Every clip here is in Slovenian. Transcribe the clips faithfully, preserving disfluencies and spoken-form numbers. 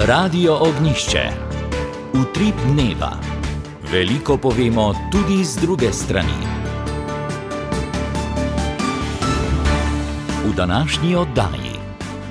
Radio Ognjišče. Utrip dneva. Veliko povemo tudi z druge strani. V današnji oddaji.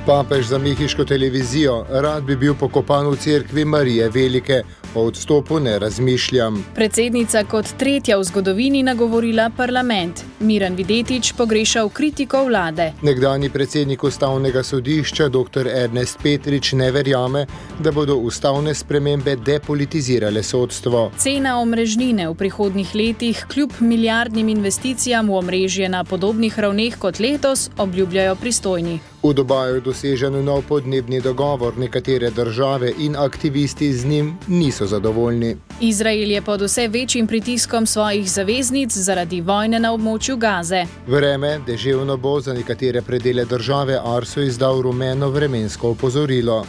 Papež za mehiško televizijo: rad bi bil pokopan v cerkvi Marije Velike, o odstopu ne razmišljam. Predsednica kot tretja v zgodovini nagovorila parlament. Miran Videtič pogrešal kritiko vlade. Nekdanji predsednik ustavnega sodišča dr. Ernest Petrič ne verjame, da bodo ustavne spremembe depolitizirale sodstvo. Cena omrežnine v prihodnjih letih kljub milijardnim investicijam v omrežje na podobnih ravneh kot letos, obljubljajo pristojni. V Dubaju je dosežen nov podnebni dogovor, nekatere države in aktivisti z njim niso zadovoljni. Izrael je pod vse večjim pritiskom svojih zaveznic zaradi vojne na območju Gaze. Vreme deževno bo, za nekatere predele države Arso izdal rumeno vremensko opozorilo.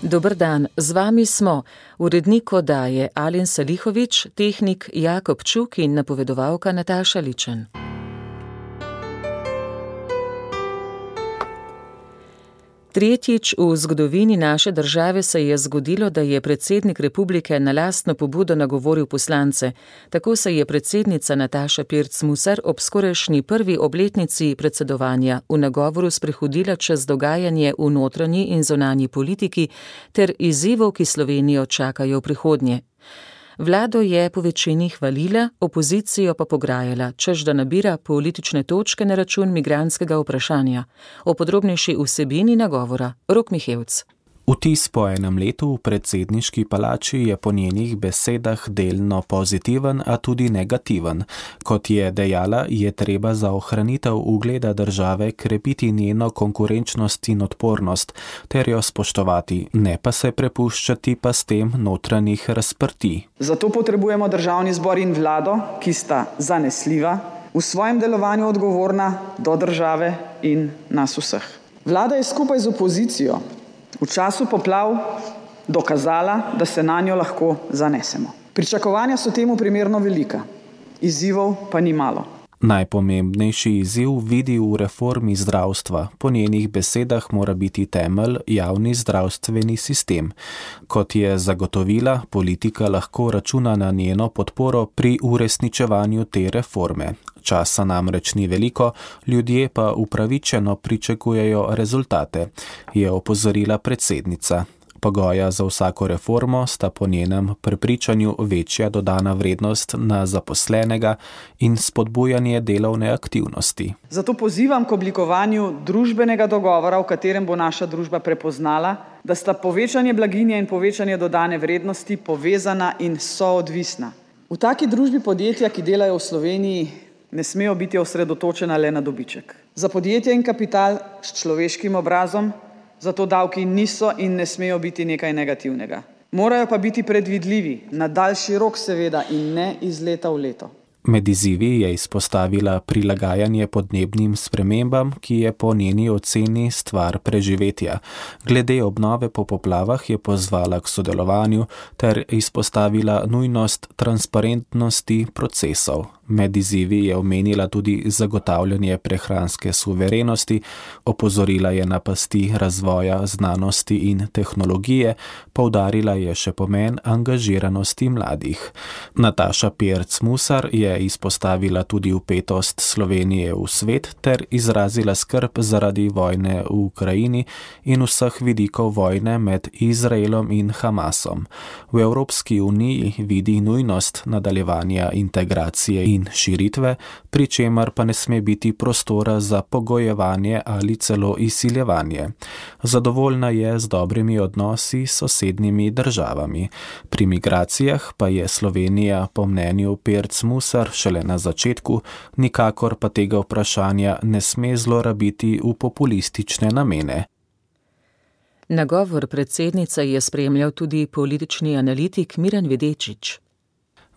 Dober dan, z vami smo urednik oddaje Alen Salihović, tehnik Jakob Čuk in napovedovalka Nataša Ličen. Tretjič v zgodovini naše države se je zgodilo, da je predsednik republike na lastno pobudo nagovoril poslance. Tako se je predsednica Nataša Pirc Musar ob skorajšnji prvi obletnici predsedovanja v nagovoru sprehodila čez dogajanje v notranji in zunanji politiki ter izzivov, ki Slovenijo čakajo v prihodnje. Vlado je po večini hvalila, opozicijo pa pograjala, češ da nabira politične točke na račun migrantskega vprašanja. O podrobnejši vsebini nagovora Rok Mihevc. Vtis po enem letu v predsedniški palači je po njenih besedah delno pozitiven, a tudi negativen. Kot je dejala, je treba za ohranitev ugleda države krepiti njeno konkurenčnost in odpornost, ter jo spoštovati, ne pa se prepuščati pa s tem notranjih razprtij. Zato potrebujemo državni zbor in vlado, ki sta zanesljiva, v svojem delovanju odgovorna do države in nas vseh. Vlada je skupaj z opozicijo v času poplav dokazala, da se na njo lahko zanesemo. Pričakovanja so temu primerno velika, izzivov pa ni malo. Najpomembnejši izziv vidi v reformi zdravstva. Po njenih besedah mora biti temelj javni zdravstveni sistem. Kot je zagotovila, politika lahko računa na njeno podporo pri uresničevanju te reforme. Časa namreč ni veliko, ljudje pa upravičeno pričakujejo rezultate, je opozorila predsednica. Pogoja za vsako reformo sta po njenem prepričanju večja dodana vrednost na zaposlenega in spodbujanje delovne aktivnosti. Zato pozivam k oblikovanju družbenega dogovora, v katerem bo naša družba prepoznala, da sta povečanje blaginje in povečanje dodane vrednosti povezana in soodvisna. V taki družbi podjetja, ki delajo v Sloveniji, ne smejo biti osredotočena le na dobiček. Za podjetje in kapital s človeškim obrazom zato davki niso in ne smejo biti nekaj negativnega. Morajo pa biti predvidljivi, na daljši rok seveda in ne iz leta v leto. Med izzivi je izpostavila prilagajanje podnebnim spremembam, ki je po njeni oceni stvar preživetja. Glede obnove po poplavah je pozvala k sodelovanju ter izpostavila nujnost transparentnosti procesov. Med izzivi je omenila tudi zagotavljanje prehranske suverenosti, opozorila je na pasti razvoja znanosti in tehnologije, poudarila je še pomen angažiranosti mladih. Nataša Pirc Musar je izpostavila tudi vpetost Slovenije v svet ter izrazila skrb zaradi vojne v Ukrajini in vseh vidikov vojne med Izraelom in Hamasom. V Evropski uniji vidi nujnost nadaljevanja integracije in širitve, pri čemer pa ne sme biti prostora za pogojevanje ali celo izsiljevanje. Zadovoljna je z dobrimi odnosi s sosednjimi državami. Pri migracijah pa je Slovenija po mnenju Pirc Musar šele na začetku, nikakor pa tega vprašanja ne sme zlorabiti v populistične namene. Nagovor predsednice je spremljal tudi politični analitik Miran Videtič.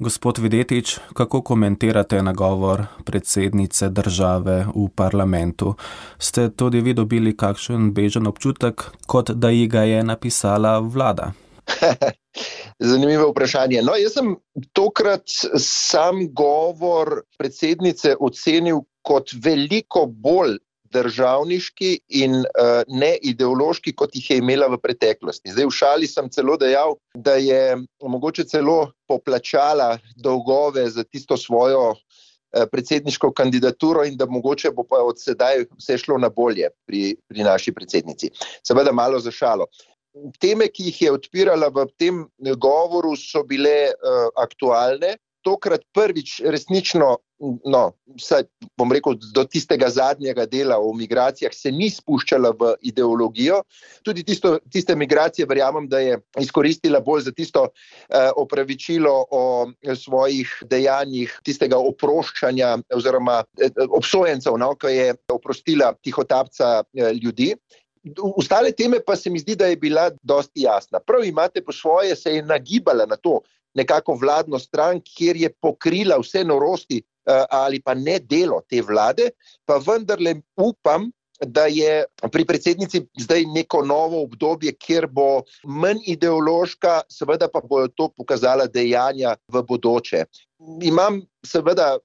Gospod Videtič, kako komentirate nagovor predsednice države v parlamentu? Ste tudi vi dobili kakšen bežen občutek, kot da ji ga je napisala vlada? Zanimivo vprašanje. No, jaz sem tokrat sam govor predsednice ocenil kot veliko bolj državniški in uh, ne ideološki, kot jih je imela v preteklosti. Zdaj v šali sem celo dejal, da je mogoče celo poplačala dolgove za tisto svojo uh, predsedniško kandidaturo in da mogoče bo pa od sedaj vse šlo na bolje pri, pri naši predsednici. Seveda malo za šalo. Teme, ki jih je odpirala v tem govoru, so bile uh, aktualne. Tokrat prvič resnično, no, vsaj, bom rekel, do tistega zadnjega dela o migracijah se ni spuščala v ideologijo. Tudi tisto, tiste migracije verjamem, da je izkoristila bolj za tisto eh, opravičilo o svojih dejanjih, tistega oproščanja oziroma eh, obsojencev, no, ko je oprostila tihotapca eh, ljudi. Ostale teme pa se mi zdi, da je bila dosti jasna. Prav imate po svoje, se je nagibala na to, nekako vladno stran, kjer je pokrila vse norosti ali pa ne delo te vlade, pa vendarle upam, da je pri predsednici zdaj neko novo obdobje, kjer bo manj ideološka, seveda pa bojo to pokazala dejanja v bodoče. Imam seveda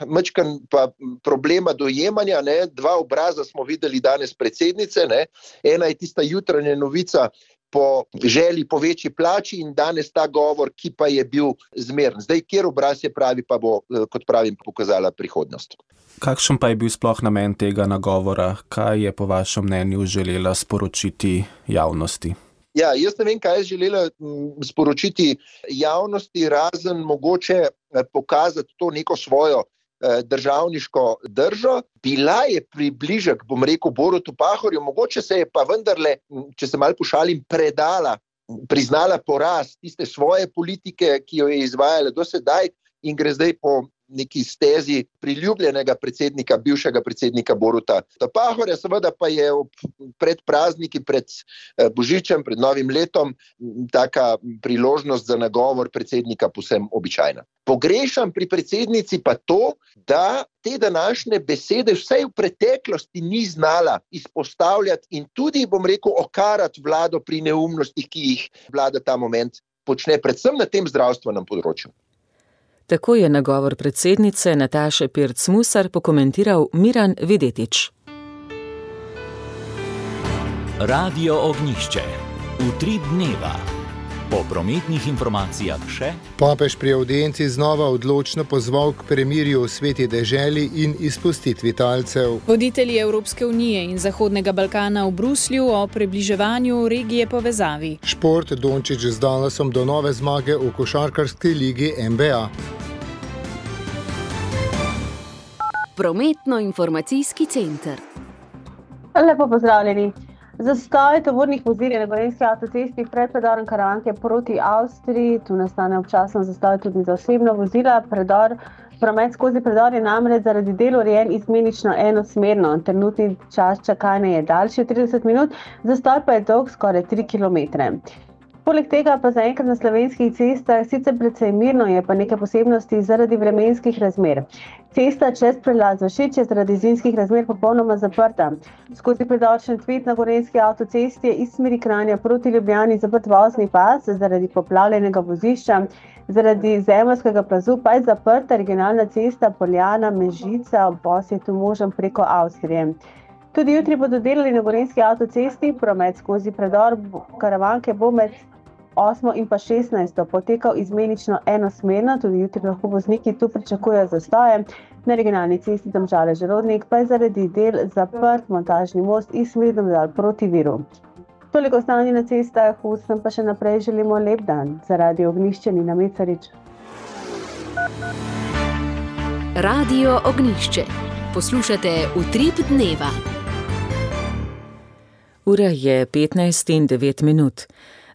majčken pa problema dojemanja, ne? Dva obraza smo videli danes predsednice, ne? Ena je tista jutranja novica po želji po večji plači in danes ta govor, ki pa je bil zmeren. Zdaj, kjer obraz je pravi, pa bo, kot pravim, pokazala prihodnost. Kakšen pa je bil sploh namen tega nagovora? Kaj je po vašem mnenju želela sporočiti javnosti? Ja, jaz ne vem, kaj je želela sporočiti javnosti, razen mogoče pokazati to neko svojo državniško držo. Bila je približek, bom rekel, Borutu Pahorju, mogoče se je pa vendarle, če se malo pošalim, predala, priznala poraz tiste svoje politike, ki jo je izvajala do sedaj in gre zdaj po neki stezi priljubljenega predsednika, bivšega predsednika Boruta Pahorja, seveda pa je pred prazniki, pred Božičem, pred novim letom, taka priložnost za nagovor predsednika povsem običajna. Pogrešam pri predsednici pa to, da te današnje besede vsaj v preteklosti ni znala izpostavljati in tudi, bom rekel, okarati vlado pri neumnostih, ki jih vlada ta moment počne, predvsem na tem zdravstvenem področju. Tako je nagovor predsednice Nataše Pirc Musar pokomentiral Miran Videtič. Radio Ognjišče. Utrip dneva. Po prometnih informacijah še. Papež pri avdienci znova odločno pozval k premirju v sveti deželi in izpustitvi talcev. Voditelji Evropske unije in Zahodnega Balkana v Bruslju o približevanju regije povezavi. Šport, Dončić z Dallasom do nove zmage v košarkarski ligi N B A. Prometno-informacijski center. Lepo pozdravljeni. Zastoj tovornih vozil na gorenjski avtocesti pred predorom Karavanke proti Avstriji. Tu nastane občasno zastoj tudi za osebna vozila. Predor, promet skozi predor je namreč zaradi del urejen izmenično enosmerno. Trenutni čas čakanja je daljši od trideset minut, zastoj pa je dolg skoraj tri kilometre. Poleg tega pa zaenkrat na slovenskih cestah sicer precej mirno, je pa nekaj posebnosti zaradi vremenskih razmer. Cesta čez prelaz Vršič je zaradi zimskih razmer popolnoma zaprta. Skozi predor Šentvid na gorenjski avtocesti je iz smeri Kranja proti Ljubljani zaprt vozni pas zaradi poplavljenega vozišča. Zaradi zemeljskega plazu pa je zaprta regionalna cesta Poljana Mežica, obvoz je tu možen preko Avstrije. Tudi jutri bodo delali na gorenjski avtocesti, promet skozi predor Karavanke bo med osmo in pa šestnajsto potekal izmenično enosmerno, tudi jutri lahko vozniki tu pričakujejo zastoje. Na regionalni cesti Domžale-Želodnik pa je zaradi del zaprt montažni most iz smeri Domžal proti Viru. Toliko stanje na cestah, vsem pa še naprej želimo lep dan. Za Radio Ognjišče Nina Mecarič. Radio Ognjišče. Poslušate Utrip dneva. Ura je petnajst in devet minut.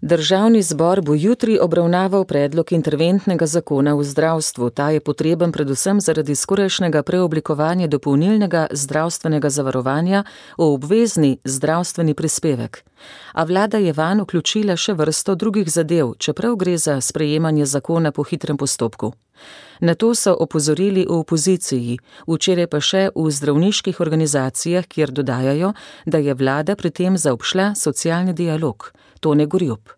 Državni zbor bo jutri obravnaval predlog interventnega zakona v zdravstvu. Ta je potreben predvsem zaradi skorajšnjega preoblikovanja dopolnilnega zdravstvenega zavarovanja v obvezni zdravstveni prispevek. A vlada je vanj vključila še vrsto drugih zadev, čeprav gre za sprejemanje zakona po hitrem postopku. Na to so opozorili v opoziciji, včeraj pa še v zdravniških organizacijah, kjer dodajajo, da je vlada pri tem zaobšla socialni dialog. Tone Gorjup.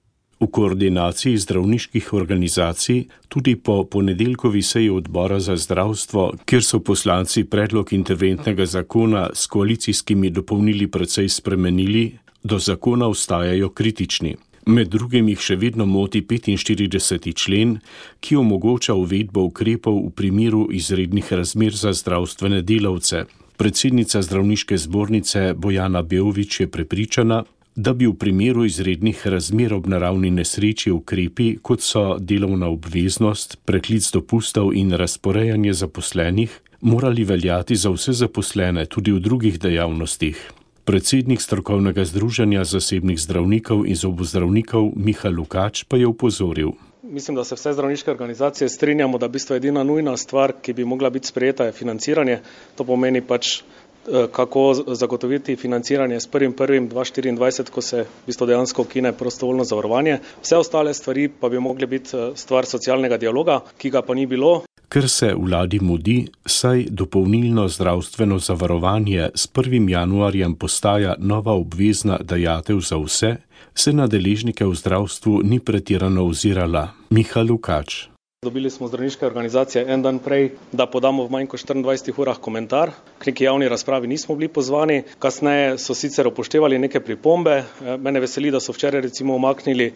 V koordinaciji zdravniških organizacij tudi po ponedeljkovi seji odbora za zdravstvo, kjer so poslanci predlog interventnega zakona s koalicijskimi dopolnili precej spremenili, do zakona ostajajo kritični. Med drugim jih še vedno moti petinštirideseti člen, ki omogoča uvedbo ukrepov v primeru izrednih razmer za zdravstvene delavce. Predsednica zdravniške zbornice Bojana Beović je prepričana, da bi v primeru izrednih razmer ob naravni nesreči ukrepi, kot so delovna obveznost, preklic dopustov in razporejanje zaposlenih, morali veljati za vse zaposlene tudi v drugih dejavnostih. Predsednik strokovnega združenja zasebnih zdravnikov in zobozdravnikov Miha Lukač pa je upozoril. Mislim, da se vse zdravniške organizacije strinjamo, da v bistvu edina nujna stvar, ki bi mogla biti sprejeta, je financiranje. To pomeni pač, kako zagotoviti financiranje s prvim prvim dva tisoč štiriindvajset, ko se v bistvu dejansko ukine prostovoljno zavarovanje. Vse ostale stvari pa bi mogli biti stvar socialnega dialoga, ki ga pa ni bilo. Ker se vladi mudi, saj dopolnilno zdravstveno zavarovanje s prvim januarjem postaja nova obvezna dajatev za vse, se na deležnike v zdravstvu ni pretirano ozirala. Miha Lukač. Dobili smo zdravniške organizacije en dan prej, da podamo v manj kot štiriindvajsetih urah komentar. K neki javni razpravi nismo bili pozvani. Kasneje so sicer upoštevali neke pripombe. Mene veseli, da so včeraj recimo umaknili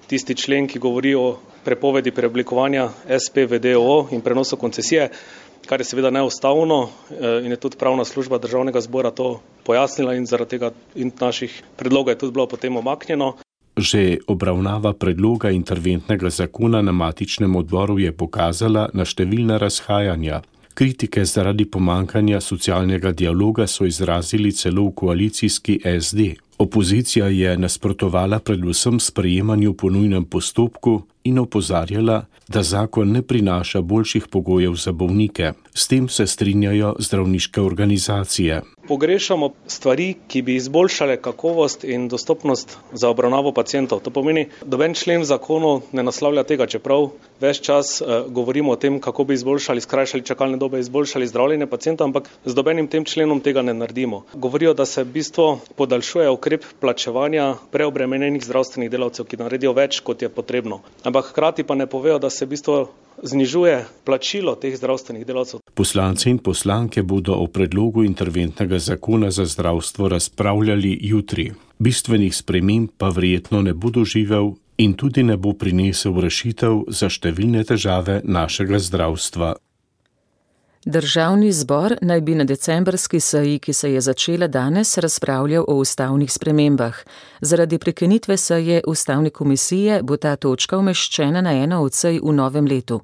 tisti člen, ki govori o prepovedi preoblikovanja S P v D O O in prenosu koncesije, kar je seveda neustavno in je tudi pravna služba Državnega zbora to pojasnila in zaradi tega in naših predlogov je tudi bilo potem umaknjeno. Že obravnava predloga interventnega zakona na matičnem odboru je pokazala na številna razhajanja. Kritike zaradi pomankanja socialnega dialoga so izrazili celo v koalicijski S D. Opozicija je nasprotovala predvsem sprejemanju po nujnem postopku in opozarjala, da zakon ne prinaša boljših pogojev za bolnike. S tem se strinjajo zdravniške organizacije. Pogrešamo stvari, ki bi izboljšale kakovost in dostopnost za obravnavo pacientov. To pomeni, noben člen v zakonu ne naslavlja tega, čeprav ves čas uh, govorimo o tem, kako bi izboljšali, skrajšali čakalne dobe, izboljšali zdravljenje pacientov, ampak z nobenim tem členom tega ne naredimo. Govorijo, da se v bistvu podaljšuje ukrep plačevanja preobremenjenih zdravstvenih delavcev, ki naredijo več, kot je potrebno. Ampak hkrati pa ne povejo, da se v bistvu znižuje plačilo teh zdravstvenih delavcev. Poslanci in poslanke bodo o predlogu interventnega zakona za zdravstvo razpravljali jutri. Bistvenih sprememb pa verjetno ne bo doživel in tudi ne bo prinesel rešitev za številne težave našega zdravstva. Državni zbor naj bi na decembrski seji, ki se je začela danes, razpravljal o ustavnih spremembah. Zaradi prekinitve seje ustavne komisije bo ta točka umeščena na eno od sej v novem letu.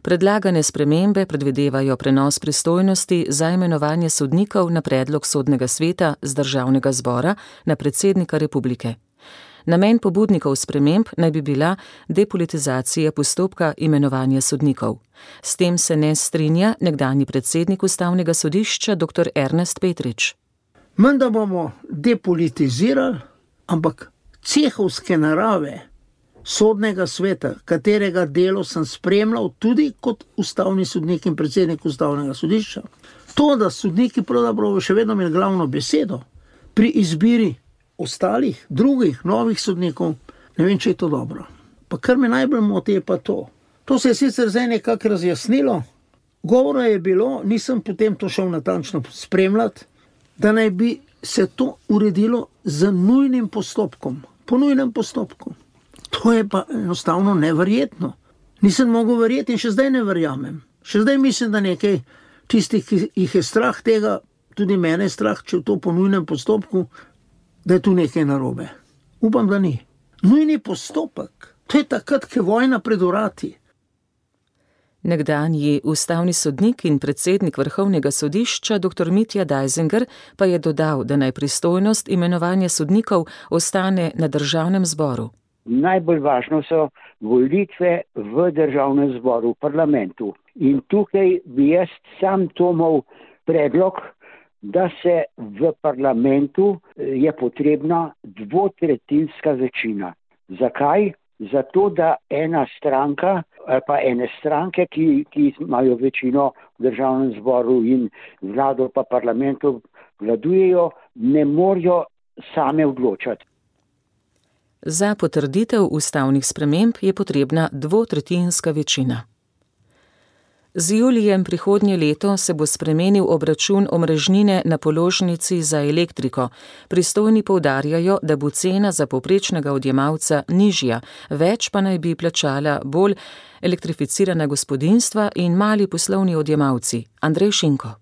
Predlagane spremembe predvidevajo prenos pristojnosti za imenovanje sodnikov na predlog sodnega sveta z državnega zbora na predsednika republike. Namen pobudnikov sprememb naj bi bila depolitizacija postopka imenovanja sodnikov. S tem se ne strinja nekdanji predsednik ustavnega sodišča dr. Ernest Petrič. Menda bomo depolitizirali, ampak cehovske narave sodnega sveta, katerega delo sem spremljal tudi kot ustavni sodnik in predsednik ustavnega sodišča, to, da sodniki pravzaprav še vedno imeli glavno besedo pri izbiri ostalih, drugih, novih sodnikov, ne vem, če je to dobro. Pa kar me najbolj moti je pa to. To se je sicer zdaj nekako razjasnilo. Govora je bilo, nisem potem to šel natančno spremljati, da naj bi se to uredilo z nujnim postopkom. Po nujnem postopku. To je pa enostavno neverjetno. Nisem mogel verjeti in še zdaj ne verjamem. Še zdaj mislim, da nekaj tistih, ki jih je strah tega, tudi mene je strah, če je to po nujnem postopku, da je tu nekaj narobe. Upam, da ni. Nujni postopek, to je takrat, ko je vojna pred vrati. Nekdanji ustavni sodnik in predsednik Vrhovnega sodišča dr. Mitja Dajzinger pa je dodal, da naj pristojnost imenovanja sodnikov ostane na državnem zboru. Najbolj važno so volitve v državnem zboru, v parlamentu. In tukaj bi jaz sam Tomov predlog, da se v parlamentu je potrebna dvotretjinska večina. Zakaj? Zato, da ena stranka ali pa ene stranke, ki, ki imajo večino v državnem zboru in vlado pa parlamentu vladujejo, ne morajo same odločati. Za potrditev ustavnih sprememb je potrebna dvotretjinska večina. Z julijem prihodnje leto se bo spremenil obračun omrežnine na položnici za elektriko. Pristojni poudarjajo, da bo cena za povprečnega odjemalca nižja, več pa naj bi plačala bolj elektrificirana gospodinjstva in mali poslovni odjemalci. Andrej Šinko.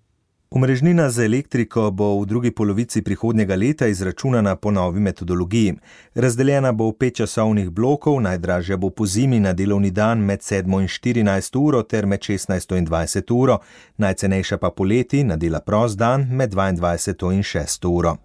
Omrežnina za elektriko bo v drugi polovici prihodnjega leta izračunana po novi metodologiji. Razdeljena bo v pet časovnih blokov, najdražja bo po zimi na delovni dan med sedmo in štirinajsto uro ter med šestnajsto in dvajseto uro, najcenejša pa poleti na dela prost dan med dvaindvajseto in šesto uro.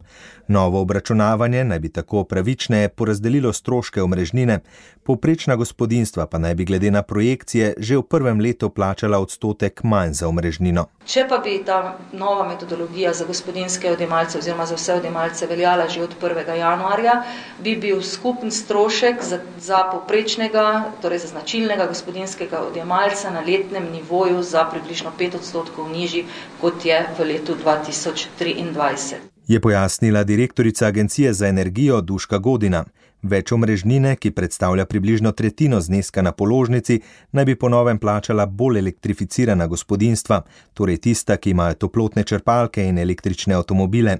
Novo obračunavanje naj bi tako pravičneje porazdelilo stroške omrežnine, povprečna gospodinjstva pa naj bi glede na projekcije že v prvem letu plačala odstotek manj za omrežnino. Če pa bi ta nova metodologija za gospodinjske odjemalce oziroma za vse odjemalce veljala že od prvega januarja, bi bil skupen strošek za, za povprečnega, torej za značilnega gospodinjskega odjemalca na letnem nivoju za približno pet odstotkov nižji, kot je v letu dva tisoč triindvajset. Je pojasnila direktorica Agencije za energijo Duška Godina. Več omrežnine, ki predstavlja približno tretjino zneska na položnici, naj bi po novem plačala bolj elektrificirana gospodinjstva, torej tista, ki imajo toplotne črpalke in električne avtomobile.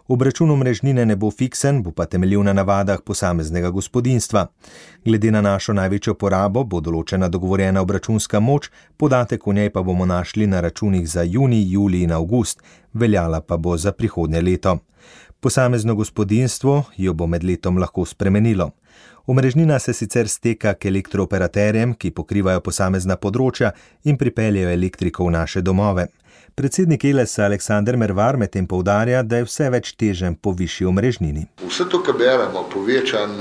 Obračun omrežnine ne bo fiksen, bo pa temeljil na navadah posameznega gospodinjstva. Glede na našo največjo porabo bo določena dogovorjena obračunska moč, podatek o njej pa bomo našli na računih za junij, julij in avgust, veljala pa bo za prihodnje leto. Posamezno gospodinjstvo jo bo med letom lahko spremenilo. Omrežnina se sicer steka k elektrooperaterjem, ki pokrivajo posamezna področja in pripeljejo elektriko v naše domove. Predsednik Elesa Aleksander Mervar medtem poudarja, da je vse več teženj po višji omrežnini. Vse to, kar beremo, povečan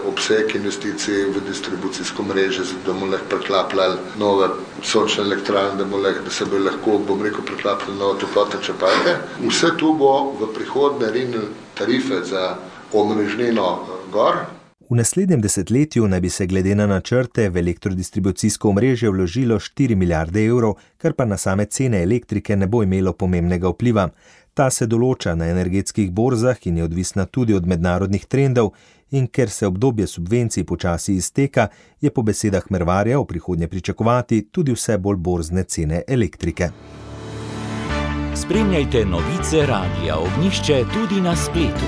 obseg investicij v distribucijsko mreže, da bomo lahko preklapljali nove sončne elektrarne, da, lahko, da se bo lahko, bom rekel, preklapljali nove toplotne črpalke. Vse to bo v prihodnje rinili tarife za omrežnino gor. V naslednjem desetletju naj bi se glede na načrte v elektrodistribucijsko omrežje vložilo štiri milijarde evrov, kar pa na same cene elektrike ne bo imelo pomembnega vpliva. Ta se določa na energetskih borzah in je odvisna tudi od mednarodnih trendov in ker se obdobje subvencij počasi izteka, je po besedah Mervarja v prihodnje pričakovati tudi vse bolj borzne cene elektrike. Spremljajte novice Radia Ognjišče tudi na spletu.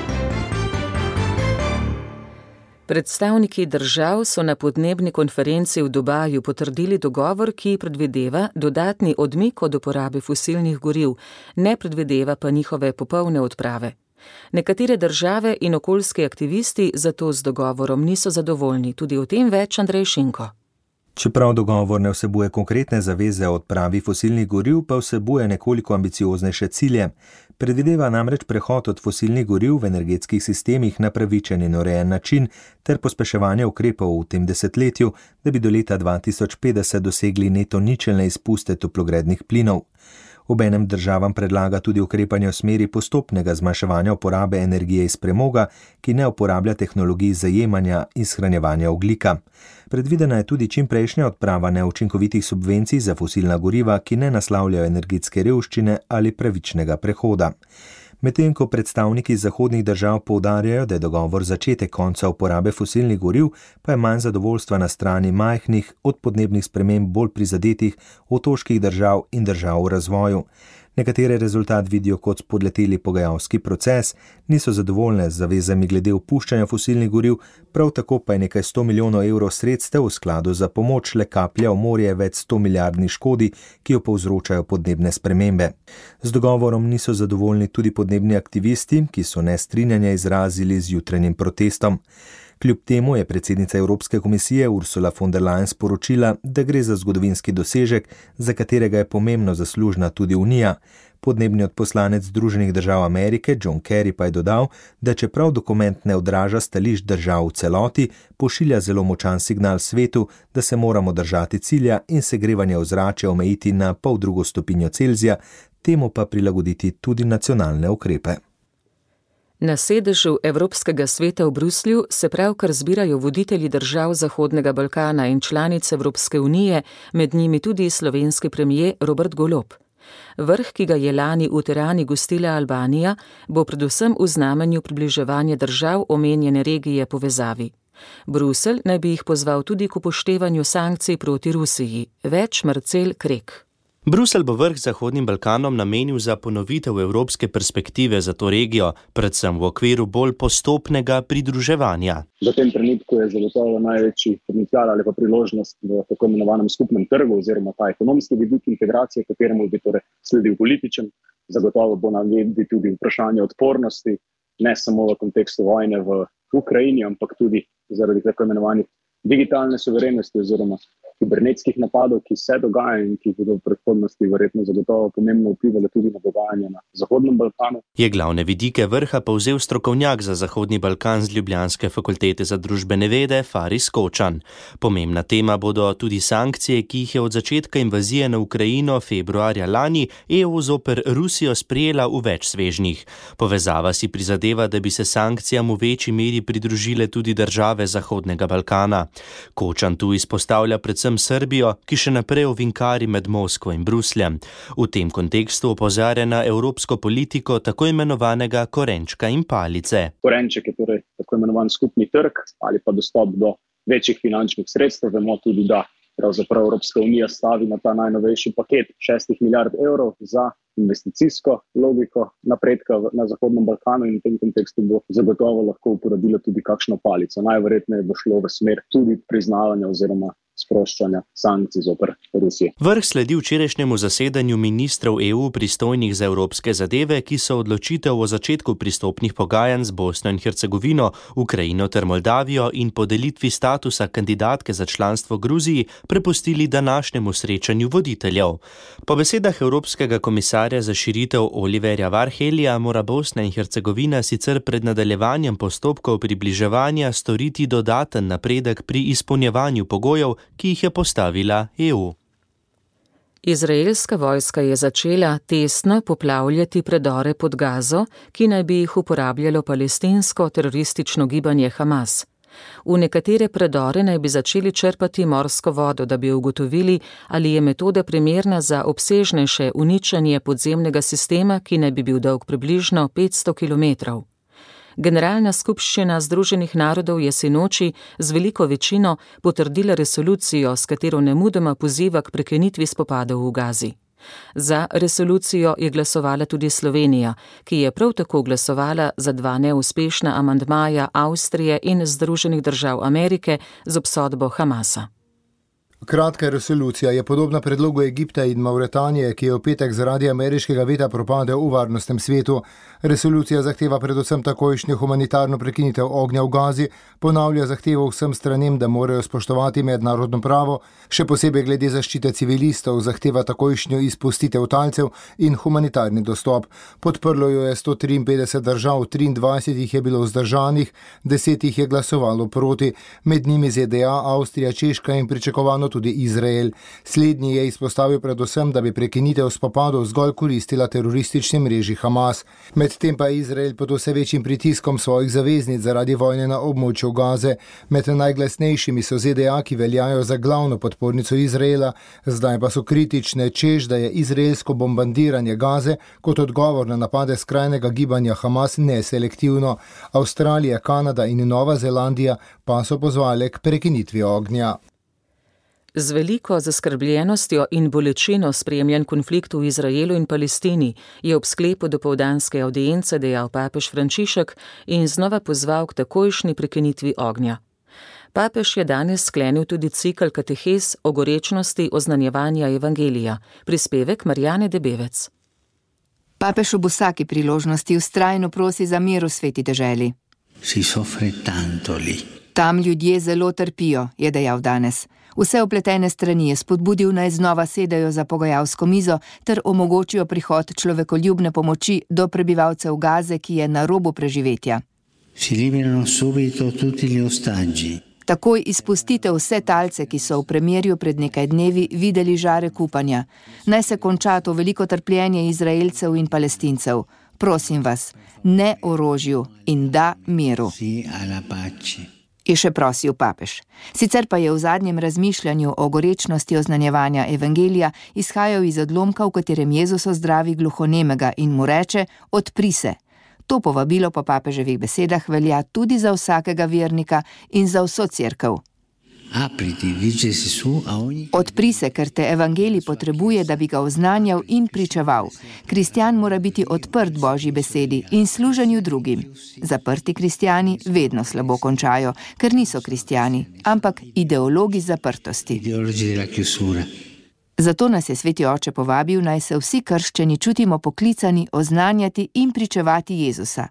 Predstavniki držav so na podnebni konferenci v Dubaju potrdili dogovor, ki predvideva dodatni odmik od uporabe fosilnih goriv, ne predvideva pa njihove popolne odprave. Nekatere države in okoljski aktivisti zato z dogovorom niso zadovoljni, tudi o tem več Andrej Šinko. Čeprav dogovor ne vsebuje konkretne zaveze o odpravi fosilnih goriv, pa vsebuje nekoliko ambicioznejše cilje. Predvideva namreč prehod od fosilnih goriv v energetskih sistemih na pravičen in urejen način ter pospeševanje ukrepov v tem desetletju, da bi do leta dva tisoč petdeset dosegli neto ničelne izpuste toplogrednih plinov. Obenem državam predlaga tudi ukrepanje v smeri postopnega zmanjševanja uporabe energije iz premoga, ki ne uporablja tehnologij zajemanja in shranjevanja ogljika. Predvidena je tudi čimprejšnja odprava neučinkovitih subvencij za fosilna goriva, ki ne naslavljajo energetske revščine ali pravičnega prehoda. Medtem ko predstavniki zahodnih držav poudarjajo, da je dogovor začetek konca uporabe fosilnih goriv, pa je manj zadovoljstva na strani majhnih, od podnebnih sprememb bolj prizadetih otoških držav in držav v razvoju. Nekatere rezultat vidijo kot spodleteli pogajalski proces, niso zadovoljne z zavezami glede opuščanja fosilnih goriv, prav tako pa je nekaj sto milijonov evrov sredstev v skladu za pomoč le kaplja v morje več sto milijardni škodi, ki jo povzročajo podnebne spremembe. Z dogovorom niso zadovoljni tudi podnebni aktivisti, ki so nestrinjanje izrazili z jutranjim protestom. Kljub temu je predsednica Evropske komisije Ursula von der Leyen sporočila, da gre za zgodovinski dosežek, za katerega je pomembno zaslužna tudi Unija. Podnebni odposlanec Združenih držav Amerike John Kerry pa je dodal, da čeprav dokument ne odraža stališč držav v celoti, pošilja zelo močan signal svetu, da se moramo držati cilja in segrevanje ozračja omejiti na pol drugo stopinjo Celzija, temu pa prilagoditi tudi nacionalne ukrepe. Na sedežu Evropskega sveta v Bruslju se pravkar zbirajo voditelji držav Zahodnega Balkana in članic Evropske unije, med njimi tudi slovenski premier Robert Golob. Vrh, ki ga je lani v Tirani gostila Albanija, bo predvsem v znamenju približevanja držav omenjene regije povezavi. Bruselj naj bi jih pozval tudi k upoštevanju sankcij proti Rusiji. Več Marcel Krek. Bruselj bo vrh Zahodnim Balkanom namenil za ponovitev evropske perspektive za to regijo, predvsem v okviru bolj postopnega pridruževanja. V tem trenutku je zagotovo največji potencial ali pa priložnost v tako imenovanem skupnem trgu oziroma ta ekonomski vidik integracije, kateremu bi torej sledil političen. Zagotovo bo na levi tudi vprašanje odpornosti, ne samo v kontekstu vojne v Ukrajini, ampak tudi zaradi tako imenovanih digitalne suverenosti oziroma kibernetskih napadov, ki se dogajajo in ki bodo v prihodnosti verjetno zagotovo pomembno vplivali tudi na dogajanje na Zahodnem Balkanu. Je glavne vidike vrha povzel strokovnjak za Zahodni Balkan z Ljubljanske fakultete za družbene vede Faris Kočan. Pomembna tema bodo tudi sankcije, ki jih je od začetka invazije na Ukrajino februarja lani E U zoper Rusijo sprejela v več svežnjih. Povezava si prizadeva, da bi se sankcijam v večji meri pridružile tudi države Zahodnega Balkana. Kočan tu izpostavlja predvsem Srbijo, ki še naprej ovinkari med Moskvo in Brusljem. V tem kontekstu opozarja na evropsko politiko tako imenovanega korenčka in palice. Korenček je torej tako imenovan skupni trg ali pa dostop do večjih finančnih sredstev. Vemo tudi, da pravzaprav Evropska unija stavi na ta najnovejši paket šestih milijard evrov za investicijsko logiko napredka na Zahodnem Balkanu in v tem kontekstu bo zagotovo lahko uporabila tudi kakšno palico. Najverjetneje bo šlo v smer tudi priznavanja oziroma sproščanja sankcij zoper Rusijo. Vrh sledi včerajšnjemu zasedanju ministrov E U pristojnih za evropske zadeve, ki so odločitev o začetku pristopnih pogajanj z Bosno in Hercegovino, Ukrajino ter Moldavijo in podelitvi statusa kandidatke za članstvo Gruziji prepustili današnjemu srečanju voditeljev. Po besedah Evropskega komisarja za širitev Oliverja Varhelija mora Bosna in Hercegovina sicer pred nadaljevanjem postopkov približevanja storiti dodaten napredek pri izpolnjevanju pogojev, ki jih je postavila E U. Izraelska vojska je začela testno poplavljati predore pod Gazo, ki naj bi jih uporabljalo palestinsko teroristično gibanje Hamas. V nekatere predore naj bi začeli črpati morsko vodo, da bi ugotovili, ali je metoda primerna za obsežnejše uničenje podzemnega sistema, ki naj bi bil dolg približno petsto kilometrov. Generalna skupščina Združenih narodov je sinoči z veliko večino potrdila resolucijo, s katero nemudoma poziva k prekinitvi spopadov v Gazi. Za resolucijo je glasovala tudi Slovenija, ki je prav tako glasovala za dva neuspešna amandmaja Avstrije in Združenih držav Amerike z obsodbo Hamasa. Kratka resolucija je podobna predlogu Egipta in Mauretanije, ki je v petek zaradi ameriškega veta propadel v varnostnem svetu. Resolucija zahteva predvsem takojšnjo humanitarno prekinitev ognja v Gazi, ponavlja zahtevo vsem stranem, da morajo spoštovati mednarodno pravo, še posebej glede zaščite civilistov, zahteva takojšnjo izpustitev talcev in humanitarni dostop. Podprlo jo je sto triinpetdeset držav, triindvajset jih je bilo vzdržanih, deset jih je glasovalo proti, med njimi Z D A, Avstrija, Češka in pričakovano tudi Izrael. Slednji je izpostavil predvsem, da bi prekinitev spopadov zgolj koristila teroristični mreži Hamas. Medtem pa je Izrael pod vse večjim pritiskom svojih zaveznic zaradi vojne na območju Gaze. Med najglasnejšimi so Z D A, ki veljajo za glavno podpornico Izraela, zdaj pa so kritične, češ, da je izraelsko bombardiranje Gaze kot odgovor na napade skrajnega gibanja Hamas neselektivno. Avstralija, Kanada in Nova Zelandija pa so pozvale k prekinitvi ognja. Z veliko zaskrbljenostjo in bolečino spremljan konflikt v Izraelu in Palestini je ob sklepu dopoldanske avdience dejal papež Frančišek in znova pozval k takojšnji prekinitvi ognja. Papež je danes sklenil tudi cikel katehes o gorečnosti oznanjevanja evangelija. Prispevek Marjane Debevec. Papež ob vsaki priložnosti vztrajno prosi za mir v sveti deželi. Si soffre tanto lì. Tam ljudje zelo trpijo, je dejal danes. Vse vpletene strani je spodbudil, naj znova sedajo za pogajalsko mizo ter omogočijo prihod človekoljubne pomoči do prebivalcev Gaze, ki je na robu preživetja. Si liberano subito tutti gli ostaggi. Takoj izpustite vse talce, ki so v premirju pred nekaj dnevi videli žare upanja. Naj se konča to veliko trpljenje Izraelcev in Palestincev. Prosim vas, ne orožju in da miru. Si alla pace. Je še prosil papež. Sicer pa je v zadnjem razmišljanju o gorečnosti oznanjevanja evangelija izhajal iz odlomka, v katerem Jezus ozdravi gluhonemega in mu reče: odpri se. To povabilo po papeževih besedah velja tudi za vsakega vernika in za vso cerkev. Odpri se, ker te evangelij potrebuje, da bi ga oznanjal in pričeval. Kristjan mora biti odprt Božji besedi in služenju drugim. Zaprti kristjani vedno slabo končajo, ker niso kristjani, ampak ideologi zaprtosti. Zato nas je Sveti Oče povabil, naj se vsi krščani čutimo poklicani oznanjati in pričevati Jezusa.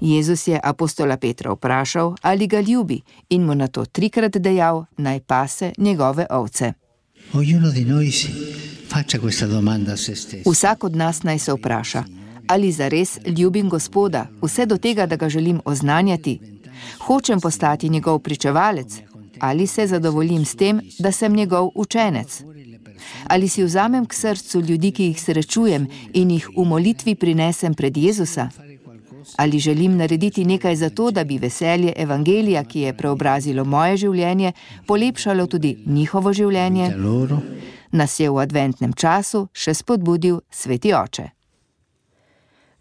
Jezus je apostola Petra vprašal, ali ga ljubi, in mu na to trikrat dejal, naj pase njegove ovce. Vsak od nas naj se vpraša, ali zares ljubim Gospoda, vse do tega, da ga želim oznanjati? Hočem postati njegov pričevalec, ali se zadovoljim s tem, da sem njegov učenec? Ali si vzamem k srcu ljudi, ki jih srečujem, in jih v molitvi prinesem pred Jezusa? Ali želim narediti nekaj za to, da bi veselje evangelija, ki je preobrazilo moje življenje, polepšalo tudi njihovo življenje? Nas je v adventnem času še spodbudil Sveti Oče.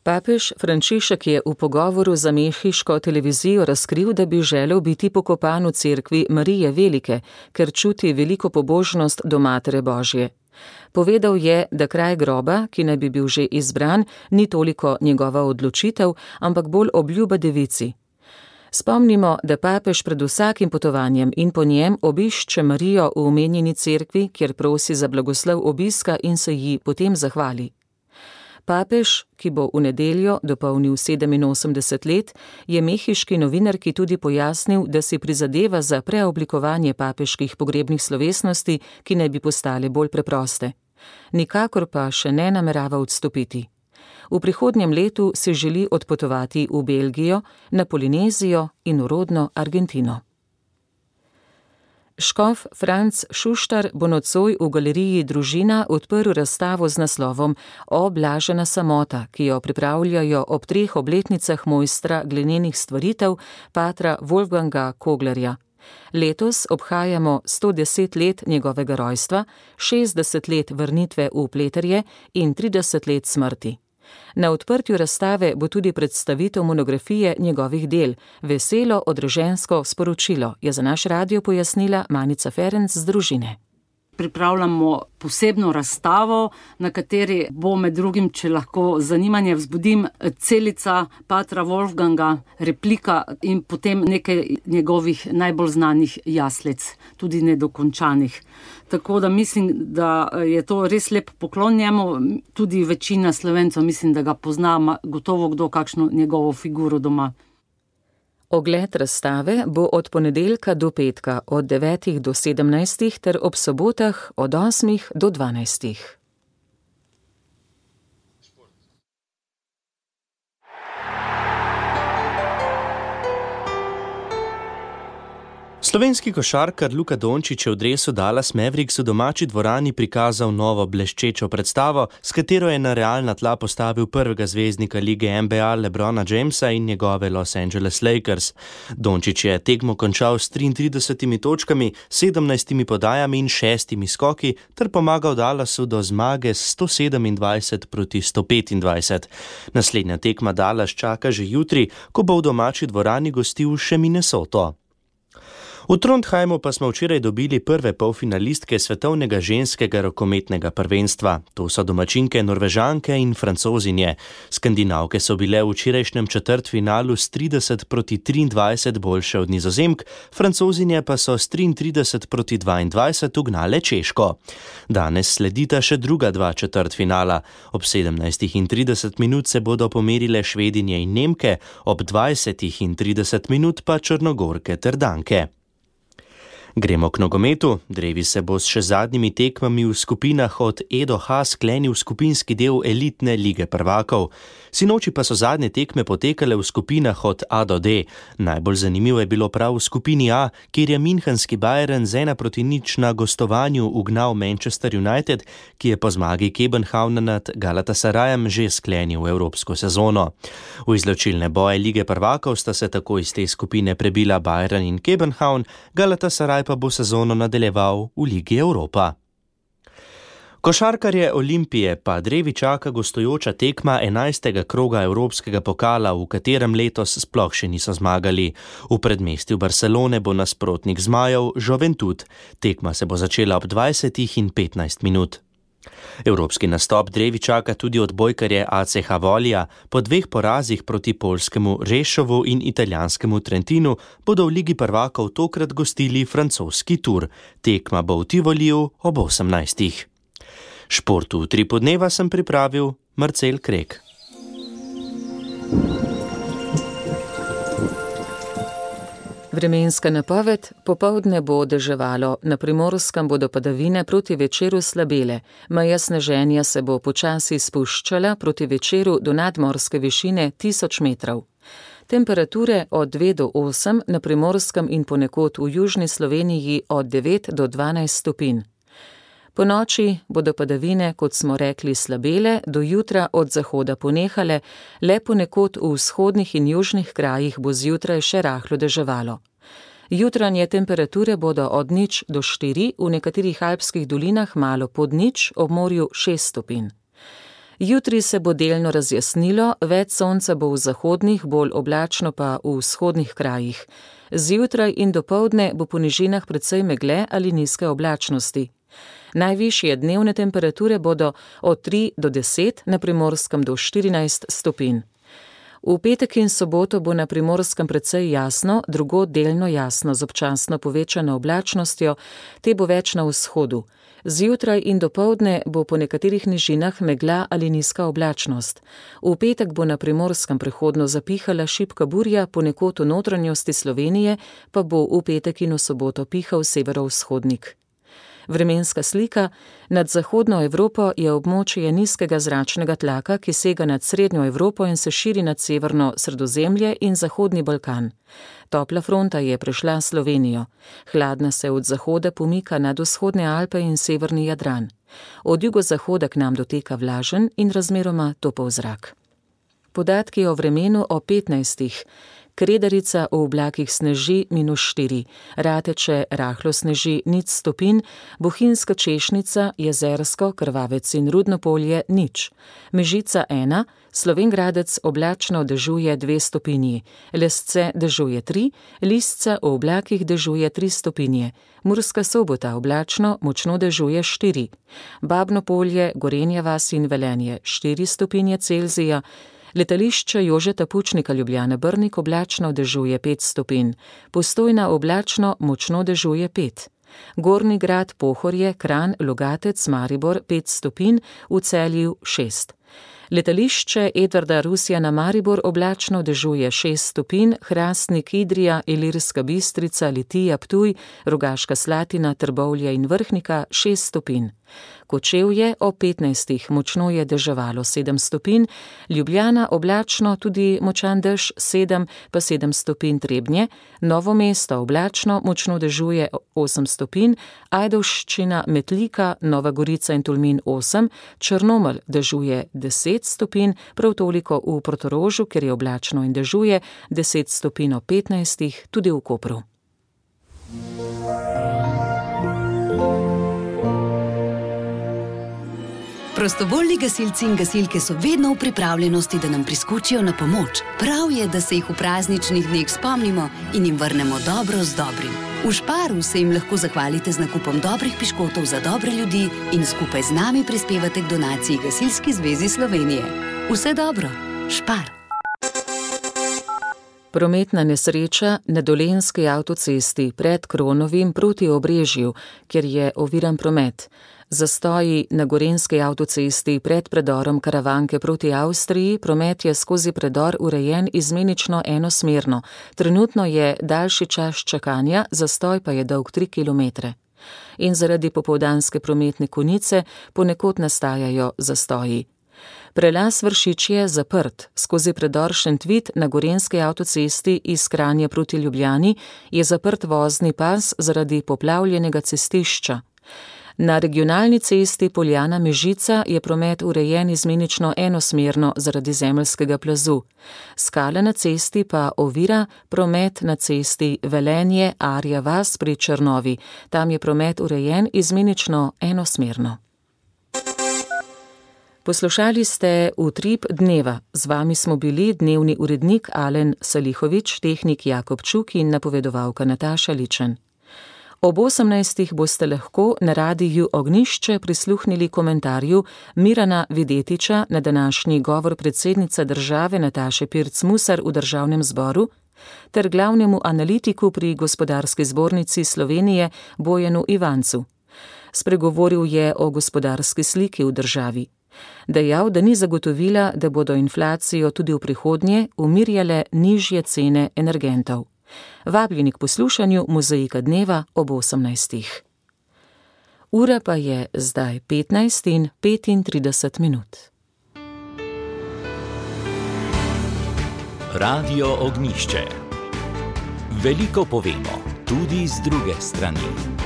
Papež Frančišek je v pogovoru za mehiško televizijo razkril, da bi želel biti pokopan v cerkvi Marije Velike, ker čuti veliko pobožnost do Matere Božje. Povedal je, da kraj groba, ki naj bi bil že izbran, ni toliko njegova odločitev, ampak bolj obljuba devici. Spomnimo, da papež pred vsakim potovanjem in po njem obišče Marijo v omenjeni cerkvi, kjer prosi za blagoslov obiska in se ji potem zahvali. Papež, ki bo v nedeljo dopolnil sedeminosemdeset let, je mehiški novinarki tudi pojasnil, da si prizadeva za preoblikovanje papeških pogrebnih slovesnosti, ki naj bi postale bolj preproste. Nikakor pa še ne namerava odstopiti. V prihodnjem letu se želi odpotovati v Belgijo, na Polinezijo in v rodno Argentino. Škof Franc Šuštar bo nocoj v galeriji Družina odprl razstavo z naslovom O blažena samota, ki jo pripravljajo ob treh obletnicah mojstra glenenih stvaritev patra Wolfganga Koglerja. Letos obhajamo sto deset let njegovega rojstva, šestdeset let vrnitve v Pleterje in trideset let smrti. Na odprtju razstave bo tudi predstavitev monografije njegovih del, Veselo odrežensko sporočilo, je za naš radio pojasnila Manica Ferenc z Družine. Pripravljamo posebno razstavo, na kateri bo med drugim, če lahko zanimanje vzbudim, celica patra Wolfganga, replika in potem nekaj njegovih najbolj znanih jaslic, tudi nedokončanih. Tako da mislim, da je to res lep poklon njemu, tudi večina Slovencev mislim, da ga pozna, gotovo kdo kakšno njegovo figuro doma. Ogled razstave bo od ponedeljka do petka od devetih do sedemnajstih ter ob sobotah od osmih do dvanajstih. Slovenski košarkar Luka Dončić je v dresu Dallas Mavericks v domači dvorani prikazal novo bleščečo predstavo, s katero je na realna tla postavil prvega zvezdnika lige N B A LeBrona Jamesa in njegove Los Angeles Lakers. Dončić je tekmo končal s triintridesetimi točkami, sedemnajstimi podajami in šestimi skoki ter pomagal Dallasu do zmage s sto sedemindvajset proti sto petindvajset. Naslednja tekma Dallas čaka že jutri, ko bo v domači dvorani gostil še Minnesoto. V Trondheimu pa smo včeraj dobili prve polfinalistke svetovnega ženskega rokometnega prvenstva. To so domačinke Norvežanke in Francozinje. Skandinavke so bile v včerajšnjem četrtfinalu s trideset proti triindvajset boljše od Nizozemk, Francozinje pa so s triintrideset proti dvaindvajset ugnale Češko. Danes sledita še druga dva četrtfinala. Ob sedemnajstih in trideset minut se bodo pomerile Švedinje in Nemke, ob dvajsetih in trideset minut pa Črnogorke ter Danke. Gremo k nogometu. Drevi se bo s še zadnjimi tekmami v skupinah od E do H sklenil skupinski del elitne lige prvakov. Sinoči pa so zadnje tekme potekale v skupinah od A do D. Najbolj zanimivo je bilo prav v skupini A, kjer je münchenski Bayern z ena proti nič na gostovanju ugnal Manchester United, ki je po zmagi Kopenhavna nad Galatasarajem že sklenil evropsko sezono. V izločilne boje lige prvakov sta se tako iz te skupine prebila Bayern in Kopenhavn, Galatasaraj pa bo sezono nadaljeval v Ligi Evropa. Košarkarje Olimpije pa drevi čaka gostujoča tekma enajstega kroga Evropskega pokala, v katerem letos sploh še niso zmagali. V predmestju Barcelone bo nasprotnik zmajev Juventud. Tekma se bo začela ob dvajsetih in petnajst minut. Evropski nastop drevi čaka tudi odbojkarje A C H Volija. Po dveh porazih proti poljskemu Rešovu in italijanskemu Trentinu bodo v Ligi prvakov tokrat gostili francoski Tur. Tekma bo v Tivoliju ob osemnajstih. Športu v Tripu dneva sem pripravil Marcel Krek. Vremenska napoved: popoldne bo deževalo, na Primorskem bodo padavine, proti večeru slabele. Meja sneženja se bo počasi spuščala, proti večeru do nadmorske višine tisoč metrov. Temperature od dve do osem, na Primorskem in ponekod v južni Sloveniji od devet do dvanajst stopinj. Po noči bodo padavine, kot smo rekli, slabele, do jutra od zahoda ponehale, le ponekod v vzhodnih in južnih krajih bo zjutraj še rahlo deževalo. Jutranje temperature bodo od nič do štiri, v nekaterih alpskih dolinah malo pod nič, ob morju šest stopinj. Jutri se bo delno razjasnilo, več sonca bo v zahodnih, bolj oblačno pa v vzhodnih krajih. Zjutraj in dopoldne bo po nižinah precej megle ali nizke oblačnosti. Najvišje dnevne temperature bodo od tri do deset, na Primorskem do štirinajst stopinj. V petek in soboto bo na Primorskem precej jasno, drugod delno jasno z občasno povečano oblačnostjo, te bo več na vzhodu. Zjutraj in dopoldne bo po nekaterih nižinah megla ali nizka oblačnost. V petek bo na Primorskem prehodno zapihala šibka burja, ponekod v notranjosti Slovenije pa bo v petek in v soboto pihal severovzhodnik. Vremenska slika: nad zahodno Evropo je območje nizkega zračnega tlaka, ki sega nad srednjo Evropo in se širi nad severno Sredozemlje in zahodni Balkan. Topla fronta je prešla Slovenijo. Hladna se od zahoda pomika nad vzhodne Alpe in severni Jadran. Od jugozahoda k nam doteka vlažen in razmeroma topel zrak. Podatki o vremenu o petnajstih. Kredarica v oblakih sneži minus štiri, Rateče rahlo sneži nič stopinj, Bohinjska Češnica, Jezersko, Krvavec in Rudnopolje nič. Mežica ena, Slovenj Gradec oblačno dežuje dve stopinji, Lesce dežuje tri, Lisca v oblakih dežuje tri stopinje, Murska Sobota oblačno močno dežuje štiri, Babno Polje, Gorenja vas in Velenje štiri stopinje Celzija, Letališče Jožeta Pučnika Ljubljana Brnik oblačno dežuje pet stopinj, Postojna oblačno močno dežuje pet, Gornji Grad, Pohorje, Kranj, Logatec, Maribor pet stopinj, v Celju šest. Letališče Edvarda Rusjana Maribor oblačno dežuje šest stopinj, Hrastnik, Idrija, Ilirska Bistrica, Litija, Ptuj, Rogaška Slatina, Trbovlje in Vrhnika šest stopinj. Kočevje ob petnajstih močno je deževalo sedem stopinj, Ljubljana oblačno tudi močan dež sedem, pa sedem stopinj Trebnje, Novo mesto oblačno močno dežuje osem stopinj, Ajdovščina, Metlika, Nova Gorica in Tolmin osem, Črnomelj dežuje deset stopinj, prav toliko v Portorožu, ker je oblačno in dežuje, deset stopinj ob petnajstih, tudi v Kopru. Prostovoljni gasilci in gasilke so vedno v pripravljenosti, da nam priskočijo na pomoč. Prav je, da se jih v prazničnih dneh spomnimo in jim vrnemo dobro z dobrim. V Šparu se jim lahko zahvalite z nakupom dobrih piškotov za dobre ljudi in skupaj z nami prispevate k donaciji Gasilski zvezi Slovenije. Vse dobro, Špar. Prometna nesreča na Dolenjski avtocesti pred Kronovim proti Obrežju, kjer je oviran promet. Zastoji na Gorenjski avtocesti pred predorom Karavanke proti Avstriji, promet je skozi predor urejen izmenično enosmerno. Trenutno je daljši čas čakanja, zastoj pa je dolg tri kilometre. In zaradi popoldanske prometne konice ponekod nastajajo zastoji. Prelaz Vršič je zaprt. Skozi predor Šentvit na Gorenjski avtocesti iz Kranja proti Ljubljani je zaprt vozni pas zaradi poplavljenega cestišča. Na regionalni cesti Poljana-Mežica je promet urejen izmenično enosmerno zaradi zemeljskega plazu. Skala na cesti pa ovira promet na cesti Velenje-Arja vas pri Črnovi. Tam je promet urejen izmenično enosmerno. Poslušali ste Utrip dneva. Z vami smo bili dnevni urednik Alen Salihovič, tehnik Jakob Čuk in napovedovalka Nataša Ličen. Ob osemnajstih boste lahko na radiju Ognjišče prisluhnili komentarju Mirana Videtiča na današnji govor predsednice države Nataše Pirc Musar v državnem zboru ter glavnemu analitiku pri Gospodarski zbornici Slovenije Bojanu Ivancu. Spregovoril je o gospodarski sliki v državi. Dejal, da ni zagotovila, da bodo inflacijo tudi v prihodnje umirjale nižje cene energentov. Vabljeni k poslušanju Mozaika dneva ob osemnajstih. Ura pa je zdaj petnajst in petintrideset minut. Radio Ognjišče. Veliko povemo, tudi z druge strani.